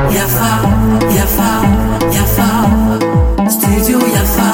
Yafa, yafa, yafa, studio Yafa.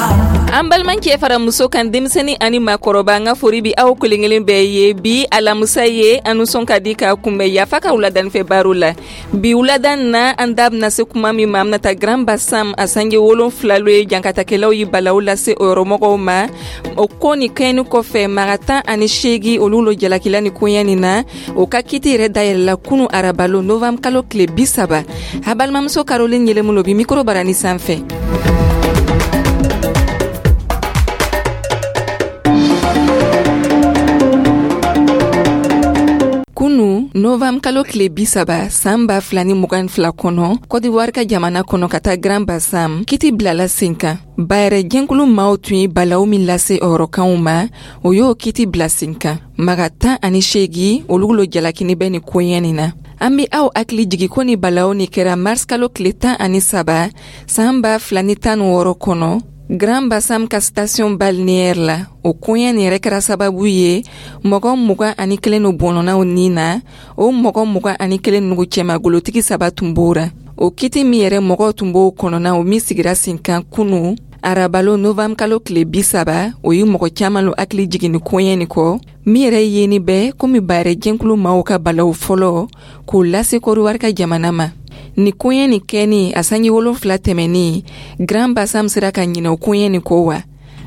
An balimakɛ fara muso kan, denmisɛnnin ani maakɔrɔba, an ka fori bi aw kelen kelen bɛɛ ye. Bi alamusa ye, an nisɔn ka di ka kunbɛn Yafa ka wuladanifɛ baro la. Bi wuladan na, an da bɛna se kuma min ma, an bɛna taa Grand Bassam. A sange 7 lo ye jankatakɛlaw ye balaw lase o yɔrɔmɔgɔw ma. O ko ni kɛɲɛni kɔfɛ, maga 18, olu lo jalakila ni koɲɛ nin na. O ka kiti yɛrɛ dayɛlɛla kunu arabalo, novembre kalo tile 30. A balimamuso Caroline Yɛlɛmulo bi mikoro barani sanfɛ. Kunu novembre kalo tile 30, san 2022 kɔnɔ, Kɔdiwari ka jamana kɔnɔ, ka taa Grand Bassam, kiti bilala sen kan. Bayɛrɛ jɛnkulu maaw tun ye balawu min lase o yɔrɔkanw ma, o y'o kiti bila sen kan. Maga 18, olu lo jalakini bɛ nin koɲɛ nin na. An be aw hakili jigi ko ni balawu ni kɛra mars kalo tile 13, san 2016 kɔnɔ, Grand Bassam ka station balnéaire la. O koɲɛ nin yɛrɛ kɛra sababu ye mɔgɔ 21 no bɔnɔnaw ni na. O mɔgɔ 21 nugu cɛma, golotigi saba tun b'o ra. O kiti min yɛrɛ mɔgɔw tun b'o kɔnɔna, o min sigira sen kan kunu arabalo, novembre kalo tile 30, o ye mɔgɔ caaman lo hakili jigin ni koɲɛ nin kɔ, min yɛrɛ yeni bɛ komi bayɛrɛ jɛnkulu maaw ka balaw fɔlɔ k'o lase Kɔdiwari ka jamana ma. Ni koɲɛ nin kɛni a sanji 7 tɛmɛni, Grand Bassam sera ka ɲinɛ o koɲɛ nin kɔ wa?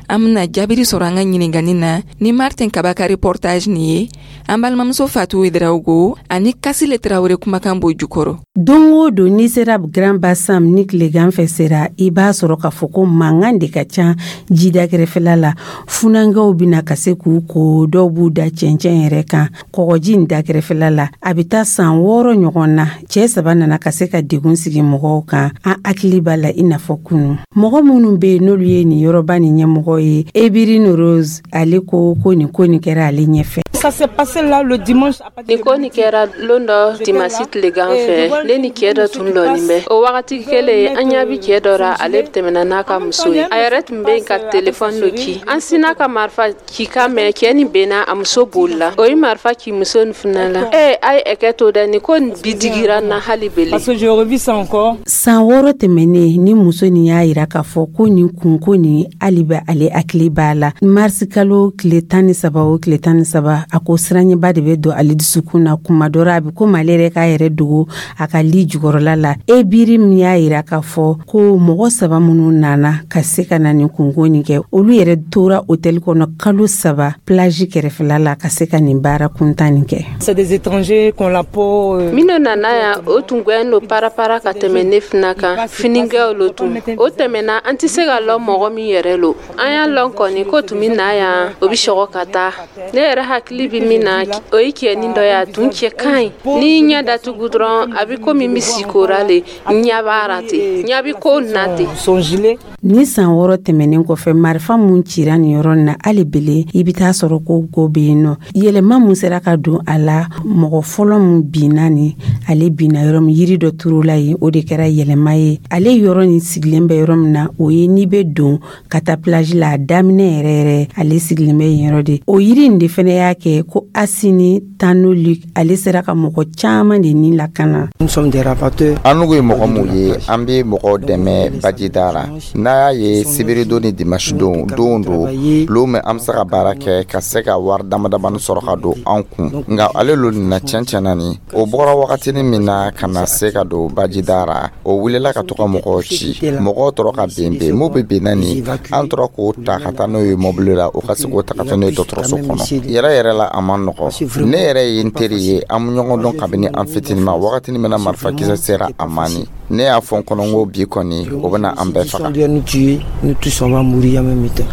An bena jaabiri sɔrɔ an ka ɲiningani na ni Martin Kaba ka reportage nin ye. An balimamuso Fatu Ouedraogo ani Kasile Tarawele kumakan b'o jukɔrɔ. Don o don, n'i sera Grand Bassam ni tilegan fɛ sera, i b'a sɔrɔ k'a fɔ ko mankan de ka ca jida kɛrɛfɛla la. Funankɛw bɛna ka se k'u ko, dɔw b'u da cɛncɛn yɛrɛ kan kɔgɔji in da kɛrɛfɛla la. A bɛ taa san 6 ɲɔgɔn na, cɛɛ 3 nana ka se ka degun sigi mɔgɔw kan. An hakili b'a la i n'a fɔ kunu. Mɔgɔ minnu bɛ yen, n'olu ye nin yɔrɔba nin ɲɛmɔgɔ ye, Ebirine Rose, ale ko ko nin ko nin kɛra ale ɲɛfɛ. Ça s'est passé là le dimanche. Nin ko nin kɛra lon dɔ dimasi tilegan fɛ. Ne ni cɛɛ dɔ tun lɔnin bɛ. O wagati kelen, an ɲa bi cɛɛ dɔ ra, ale tɛmɛna n'a ka muso ye. A yɛrɛ tun bɛ ka telefɔni lo ci. An sina ka marifa cikan mɛn. Cɛɛ nin benna, a muso bolila. O ye marifa ci muso nin fana la. Ee, a ye ɛkɛ to dɛ, nin ko nin bi digira n na hali bele. Parce que je revis ça encore. San 6 tɛmɛnen, ni muso nin y'a yira k'a fɔ ko nin kunko nin, hali bɛ ale hakili b'a la. Marisi kalo tile 13, o tile 13, a ko siranɲɛba de bɛ don ale dusukun na. Kuma dɔ la, a bɛ komi ale yɛrɛ k'a yɛrɛ dogo a ka li jukɔrɔla la. Ebiri min y'a yira k'a fɔ ko mɔgɔ 3 minnu nana ka se ka na nin kunko nin kɛ, olu yɛrɛ tora hôtel kɔnɔ kalo 3 plage kɛrɛfɛla la ka se ka nin baara kuntan nin kɛ. C'est des étrangers qu'on la peau. Minnu nana yan, o tun gwɛn lo parapara ka tɛmɛ ne fana kan. Finikɛw lo tun o tɛmɛna, an tɛ se ka lɔn mɔgɔ min yɛrɛ lo. An y'a lɔn kɔni ko tun bɛ na yan, o bɛ sɔgɔ ka taa. Ne yɛrɛ hakili bɛ min na, o ye cɛnin dɔ ye, a tun cɛ ka ɲi. N'i ɲɛ datugu dɔrɔn, a bɛ komi misi kora le. Ɲɛ b'a ra ten, ɲɛ bɛ ko na ten. Son gilet. Ni san 6 tɛmɛnen kɔfɛ, marifa mun cira nin yɔrɔ na, hali bele i bɛ taa sɔrɔ ko ko bɛ yen nɔ. Yɛlɛma mun sera ka don a la, mɔgɔ fɔlɔ mun binna nin, ale binna yɔrɔ min, yiri dɔ turula yen, o de kɛra yɛlɛma ye. Ale yɔrɔ nin sigilen bɛ yɔrɔ min na, o ye n'i bɛ don ka taa plage la, a daminɛ yɛrɛ yɛrɛ, ale sigilen bɛ yen yɔrɔ de. O yiri in de fɛnɛ y'a kɛ ko Asini Tano Luc, ale sera ka mɔgɔ caman de ni lakana. Nous sommes des rafateurs. An n'u ye mɔgɔ mun ye, an bɛ mɔgɔw dɛmɛ bajida la. N'a y'a ye sibiridon ni dimanche don, don don lon min an bɛ se ka baara kɛ ka se ka wari dama damani sɔrɔ ka don an kun. Nka ale lo nin na, tiɲɛ tiɲɛ na, nin o bɔra wagatinin min na ka na se ka don bajida la, o wulila ka to ka mɔgɔw ci. Mɔgɔw tora ka ben ben, mun bɛ ben na nin, an tora k'o ta ka taa n'o ye mɔbili la, o ka se k'o ta ka taa n'o ye dɔgɔtɔrɔso kɔnɔ. Yɛrɛ yɛrɛ la, a man nɔgɔ. Ne yɛrɛ ye n teri ye, an bɛ ɲɔgɔn dɔn kabini an fitinin ma. Wagatinin min na marifakisɛ sera a ma nin, ne y'a fɔ n kɔnɔ n ko bi kɔni, o bɛna an bɛɛ faga. Nous tuer, nous tous on va mourir en même temps.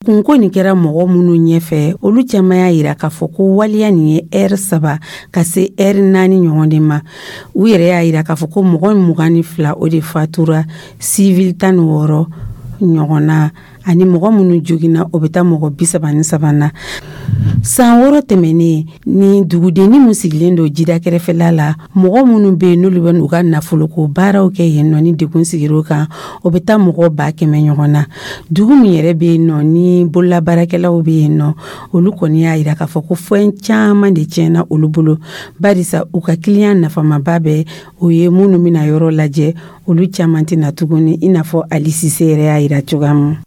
Kunko nin kɛra mɔgɔ minnu ɲɛfɛ, olu caman y'a yira k'a fɔ ko waleya nin ye ɛri 3 ka se ɛri 4 ɲɔgɔn de ma. U yɛrɛ y'a yira k'a fɔ ko mɔgɔ 22, o de fatura, sivili 16 ɲɔgɔn na. Ani mɔgɔ minnu joginna, o bɛ taa mɔgɔ 33 na. San 6 tɛmɛnen ni dugudenni min sigilen don jida kɛrɛfɛla la, mɔgɔ minnu bɛ yen n'olu bɛ n'u ka nafoloko baaraw kɛ yen nɔ, ni degun sigir'o kan, o bɛ taa mɔgɔ 100 000 ɲɔgɔn na. Dugu min yɛrɛ bɛ yen nɔ ni bololabaarakɛlaw bɛ yen nɔ, olu kɔni y'a jira k'a fɔ ko fɛn caman de tiɲɛna olu bolo, barisa u ka kiliyan nafamaba bɛɛ, o ye minnu bɛna yɔrɔ lajɛ, olu caman tɛna tuguni, i n'a fɔ Ali Sise yɛrɛ y'a jira cogoya min.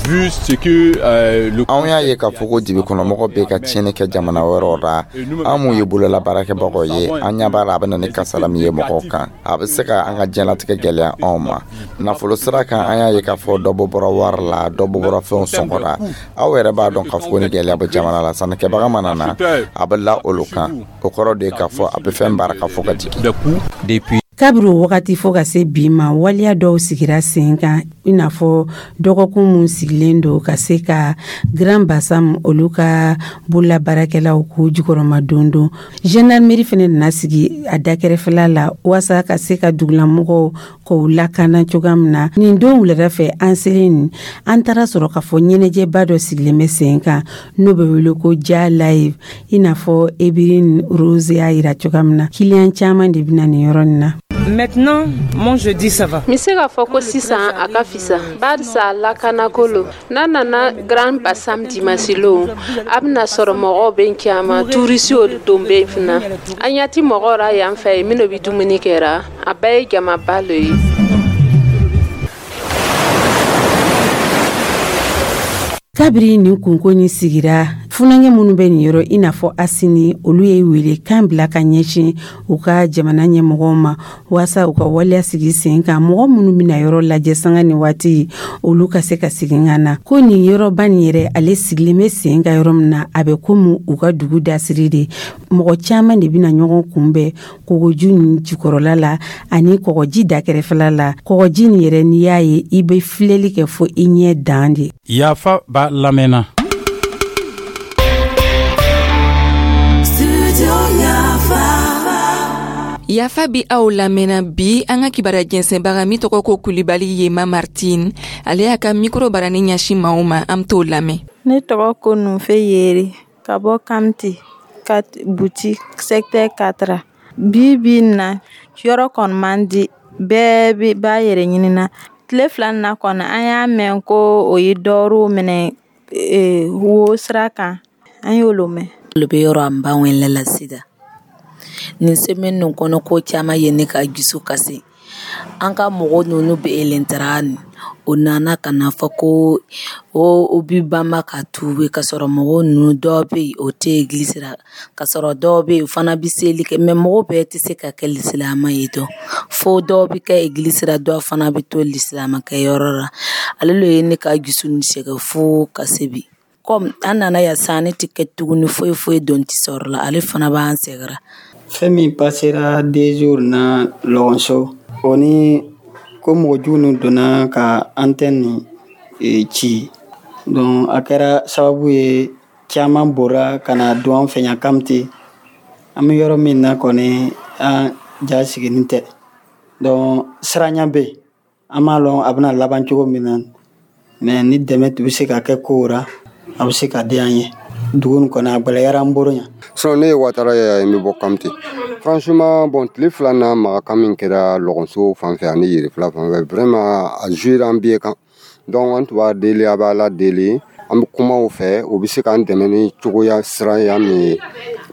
Anw y'a ye k'a fɔ ko dibi kɔnɔmɔgɔ bɛ ka tiɲɛni kɛ jamana wɛrɛw la. An mun ye bolola baarakɛbagaw ye, an ɲɛ b'a la a bɛ na ni kasara min ye mɔgɔw kan, a bɛ se ka an ka diɲɛlatigɛ gɛlɛya anw ma nafolo sira kan. An y'a ye k'a fɔ dɔ bɔ bɔra wari la, dɔ bɔ bɔra fɛnw sɔngɔ la. Aw yɛrɛ b'a dɔn k'a fɔ ko ni gɛlɛya bɛ jamana la, sannikɛbaga mana na, a bɛ la olu kan. O kɔrɔ de ye k'a fɔ a bɛ fɛn baara ka fɔ ka jigin. Kabiri o wagati fo ka se bi ma, waleya dɔw sigira sen kan, i n'a fɔ dɔgɔkun mun sigilen don ka se ka Grand Bassam olu ka bololabaarakɛlaw k'u jukɔrɔma don don. Gendarmerie fɛnɛ nana sigi a dakɛrɛfɛla la waasa ka se ka dugulamɔgɔw k'u lakana cogoya min na. Nin don wulada fɛ, an selen nin, an taara sɔrɔ k'a fɔ ɲɛnajɛba dɔ sigilen bɛ sen kan n'o bɛ wele ko Ja Live. I n'a fɔ Ebirine Rose y'a yira cogoya min na, kiliyan caman de bɛna nin yɔrɔ nin na. Maintenant, moi je dis ça va. N bɛ se k'a fɔ ko sisan a ka fisa, barisa lakanako lo. N'a nana Grand Bassam dimanche lon, a bɛna sɔrɔ mɔgɔw bɛ caman, turisiw don bɛ fana. An ɲɛ ti mɔgɔw ra yan fɛ minnu bɛ dumuni kɛra, a bɛɛ ye jamaba lo ye. Kabiri nin kunko ni sigira, funankɛ minnu bɛ nin yɔrɔ, i n'a fɔ Asini, olu ye wele kan bila ka ɲɛsin u ka jamana ɲɛmɔgɔw ma waasa u ka waleya sigi sen kan, mɔgɔ minnu bɛna yɔrɔ lajɛ sanga ni waati, olu ka se ka segin ka na. Ko nin yɔrɔba nin yɛrɛ, ale sigilen bɛ sen kan yɔrɔ min na, a bɛ komi u ka dugu dasiri de. Mɔgɔ caman de bɛna ɲɔgɔn kunbɛn kɔgɔji nin jukɔrɔla la ani kɔgɔji dakɛrɛfɛla la. Kɔgɔji nin yɛrɛ, n'i y'a ye, i bɛ filɛli kɛ fo i ɲɛ dan de. Yafa b'a lamɛnna. Yafa bi aw lamɛnna. Bi an ka kibaruya jɛnsɛnbaga min tɔgɔ ko Kulibali Yema Martine, ale y'a ka mikoro barani ɲɛsin maaw ma, an t'o lamɛn. Ne tɔgɔ ko Nunfe Yeri, ka bɔ Kamti ka buti secteur 4. Bi bi na, yɔrɔ kɔni man di, bɛɛ b'a yɛrɛ ɲinina. Tile 2 na kɔni, an y'a mɛn ko o ye dɔɔrɔw minɛ wo sira kan, an y'olu mɛn. Olu bɛ yɔrɔ an b'an wele la sida. Nin semaine nin kɔnɔ, ko caman ye ne ka dusu kasi. An ka mɔgɔ ninnu bɛ elentara nin, o nana ka na fɔ ko o bi banba ka tuube, ka sɔrɔ mɔgɔ ninnu dɔw bɛ yen, o tɛ egilisi la, ka sɔrɔ dɔw bɛ yen, o fana bɛ seli kɛ, mɛ mɔgɔ bɛɛ tɛ se ka kɛ lisilama ye dɔn. Fo dɔw bɛ kɛ egilisi la, dɔw fana bɛ to lisilama kɛ yɔrɔ la. Ale le ye ne ka dusu nin sɛgɛn fo ka se bi. Komi an nana yan sisan, ne tɛ kɛ tuguni foyi foyi don tɛ sɔrɔ la, ale fana b'an sɛgɛrɛ. Fɛn min passera 2 jours na Lɔgɔnso, o ni ko mɔgɔ jugu ninnu donna ka antenne nin ci, donc a kɛra sababu ye caman bɔra ka na don an fɛ yan Kamite. An bɛ yɔrɔ min na kɔni, an ja sigilen tɛ, donc siranya bɛ yen. An m'a lɔn a bɛna laban cogo min na, mais ni dɛmɛ tun bɛ se ka kɛ kow ra, a bɛ se ka di an ye. Dugu nin kɔni, a gɛlɛyara an bolo yan. Sinon ne ye Watara ye, n bɛ bɔ Kamite. Franchement, bon, tile 2 na maga min kɛra Lɔgɔnso fan fɛ ani Yerefila fan fɛ, vraiment a joué an bɛɛ kan. Donc an tun b'a deli, a bɛ Ala deli, an bɛ kuma u fɛ, u bɛ se k'an dɛmɛ ni cogoya siranya min ye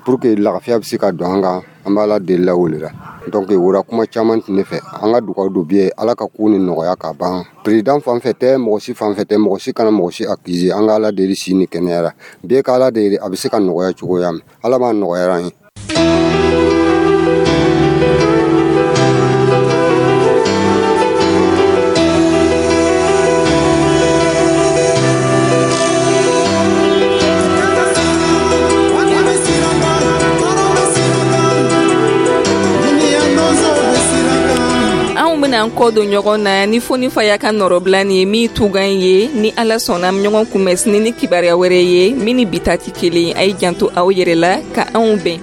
pour que lafiya bɛ se ka don an kan. An bɛ Ala deli la o de la. Donc o la kuma caman tɛ ne fɛ. An ka dugawu don bi ye Ala ka ko ni nɔgɔya ka ban. Président fan fɛ tɛ, mɔgɔ si fan fɛ tɛ, mɔgɔ si kana mɔgɔ si accuser. An ka Ala deli si ni kɛnɛya la. Bɛɛ ka Ala deli, a bɛ se ka nɔgɔya cogoya min, Ala b'a nɔgɔya an ye. Anw bɛna an kɔ don ɲɔgɔn na ni Foni Faya ka nɔrɔbila nin ye min tugan ye. Ni Ala sɔnna, an bɛ ɲɔgɔn kunbɛn sini ni kibaruya wɛrɛ ye min ni bi ta tɛ kelen. A ye janto aw yɛrɛ la, ka anw bɛn.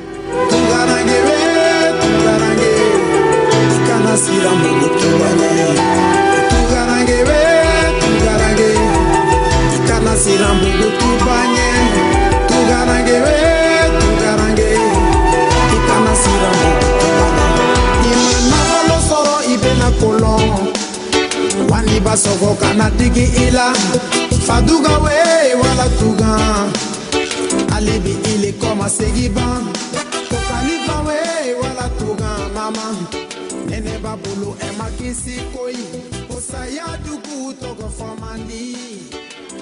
Kana siran. Siran bugutuba ɲɛ, tugarange we, tugarange, i kana siran bugutuba ɲɛ. I ma nafolo sɔrɔ, i bɛna kolɔn waliba sɔgɔ kana digi i la. Faduga we wala tugan, ale bi ile kɔma segi ban ko kanifa we wala tugan. Mama nɛnɛ b'a bolo, ɛ ma kisi koyi ko saya dugu tɔgɔ fɔ man di,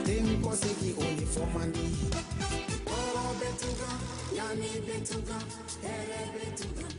den kɔsegi o le fɔ man di. Tɔɔrɔ bɛ tugan, ɲani bɛ tugan, hɛrɛ bɛ tugan.